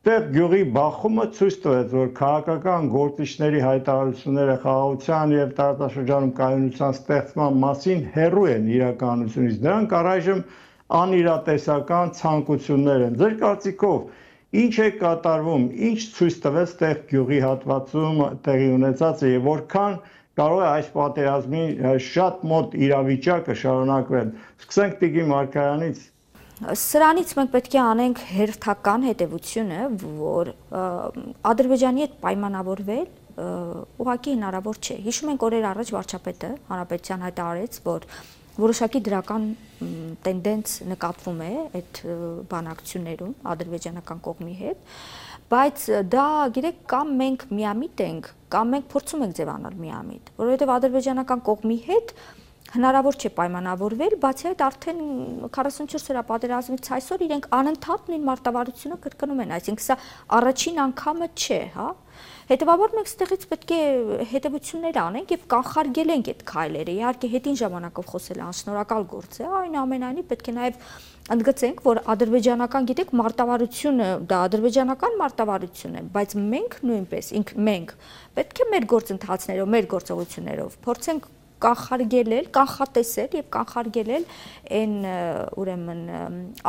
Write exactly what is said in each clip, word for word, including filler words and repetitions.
Տեղ գյուղի բախումը ցույց տվեց, որ քաղաքական գործիչների հայտարարությունները խաղաղության եւ տարածաշրջանում կայունության ստեղծման մասին հեռու են իրականությունից։ Դրանք առայժմ անիրատեսական ցանկություններ են։ Ձեր կարծիքով ինչ է կատարվում, ինչ ցույց տվեց տեղ գյուղի հատվածում տեղի ունեցածը եւ որքան կարող է այս պատերազմի շատ մոտ իրավիճակը շարունակվել։ Սկսենք Տիգրի Մարգարյանից։ Սրանից մենք պետք է անենք հերթական հետևությունը, որ Ադրբեջանի հետ պայմանավորվել ուղղակի հնարավոր չէ։ Հիշում ենք օրեր առաջ վարչապետը հանրապետության հայտարարեց, որ որոշակի դրական տենդենց նկատվում է այդ բանակցություններում ադրբեջանական կողմի հետ, բայց դա գիտեք կամ մենք միամիտ ենք, կամ մենք փորձում ենք ձևանալ միամիտ, որովհետև ադրբեջանական կողմի հետ հնարավոր չէ պայմանավորվել, բացի այդ արդեն քառասունչորս օրյա պատերազմից այսօր իրենք անընդհատ նույն մարտավարությունը կրկնում են, այսինքն սա առաջին անգամը չէ, հա։ Հետևաբար մենք ստեղից պետք է հետևություններ անենք եւ կանխարգելենք այդ քայլերը։ Իհարկե հետին ժամանակով խոսելը անշնորհակալ գործ է, այնուամենայնիվ պետք է նաեւ ընդգծենք, որ ադրբեջանական, գիտեք, մարտավարությունը դա ադրբեջանական մարտավարություն է, բայց մենք նույնպես, ինք մենք պետք է մեր գործընթացներով, մեր գործողություններով փորձենք կանխարգելել, կանխատեսել եւ կանխարգելել այն ուրեմն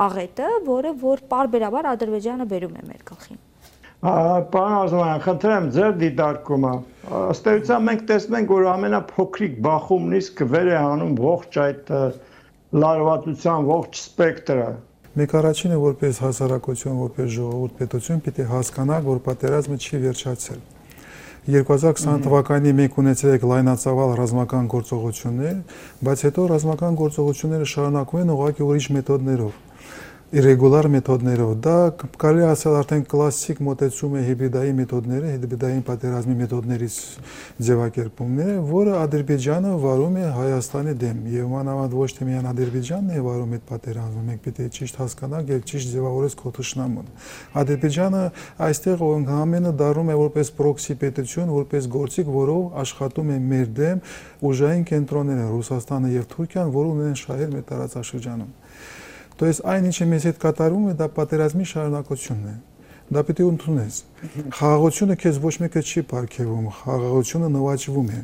աղետը, որը որ պարբերաբար Ադրբեջանը բերում է մեր գլխին։ Պարոն Արզումանյան, խնդրեմ ձեր դիտարկումը։ Ըստ էության մենք տեսնենք, որ ամենափոքրիկ բախումն իսկ վեր է հանում ողջ այդ լարվածության ողջ սպեկտրը։ Մեկ առաջինը որպես հասարակություն, որպես ժողովուրդ պետություն պիտի հասկանանք, որ պատերազմը չի վերջացել։ երկու հազար քսան թվականին մենք ունեցել ենք լայնածավալ ռազմական գործողություններ, բայց հետո ռազմական գործողությունները շարունակվում են ուղղակի ուրիշ մեթոդներով, իրեգուլար մեթոդներով։ Դա կարելի ասել արդեն կլասիկ մոտեցում է հիբրիդային մեթոդները, հիբրիդային պատերազմի մեթոդներից ձևակերպումն է, որը Ադրբեջանը վարում է Հայաստանի դեմ, եւ մանավանդ ոչ թե միայն Ադրբեջանն է վարում այդ պատերազմը, մենք պետք է ճիշտ հասկանանք եւ ճիշտ ձևավորենք քո թշնամուն։ Ադրբեջանը այստեղ ամենը դառնում է որպես պրոքսի պետություն, որպես գործիք, որով աշխատում է մեր դեմ ուժային կենտրոնները Ռուսաստանը եւ Թուրքիան, որոնք ունեն շահեր մեր տարածաշրջանում։ То есть այն ինչը մեզ հետ կատարվում է, դա պատերազմի շարունակությունն է։ Դա պետք է ընդունես։ Խաղաղությունը քեզ ոչ մեկը չի պարգևում, խաղաղությունը նվաճվում է։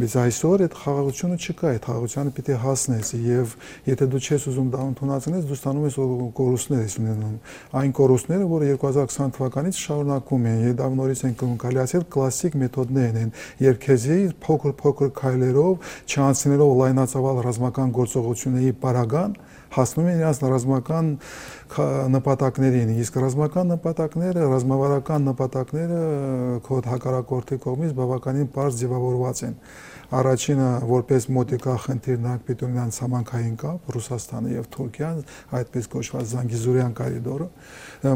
Բայց այսօր այդ խաղաղությունը չկա, այդ խաղաղությանը պետք է հասնես եւ եթե դու չես ուզում դա ընդունացնես, դու ստանում ես կորուստներ ես ունենում։ Այն կորուստները, որը երկու հազար քսան թվականից շարունակվում են, եւ դա նորից են կարելի ասել կլասիկ մեթոդներն են, երկեզի փոքր-փոքր քայլերով, չանցնելով լայնածավալ ռազմական գործողությունների պարագան հասնում են իրաց ռազմական նպատակներին, իսկ ռազմական նպատակները, ռազմավարական նպատակները քո հակառակորդի կողմից բավականին պարզ ձևավորված են։ Առաջինը որպես մոտիկա խնդիր նրանք պետք է ունենան ցամաքային կապ Ռուսաստանը եւ Թուրքիան, այդպես կոչված Զանգիզուրյան կորիդորը,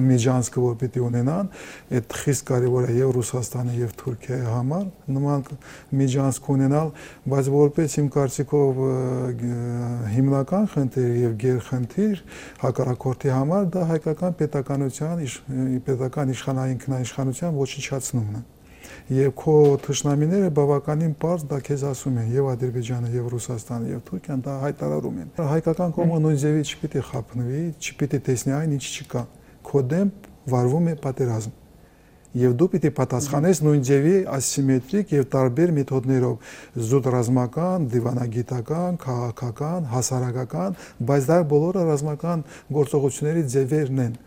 Միջանցքը որ պետք է ունենան, այդ խիստ կարեւոր է եւ Ռուսաստանի եւ Թուրքիայի համար նման Միջանցք ունենալ, բայց որպես իմ կարծիքով հիմնական խնդիր եւ գերխնդիր հակառակորդի համար դա հայկական պետականության, պետական իշխանային ինքնաիշխանության ոչնչացումն է։ Եվ քո թշնամիները բավականին պարզ դա քեզ ասում են եւ Ադրբեջանը եւ Ռուսաստանը եւ Թուրքիան դա հայտարարում են։ Հայկական կողմը նույն ձևի չպիտի խափնվի, չպիտի տեսնի այն ինչ չկա։ Քո դեմ վարվում է պատերազմ։ Եվ դու պիտի պատասխանես նույն ձևի ասիմետրիկ եւ տարբեր մեթոդներով՝ զուտ ռազմական, դիվանագիտական, քաղաքական, հասարակական, բայց դա բոլորը ռազմական գործողությունների ձևերն են։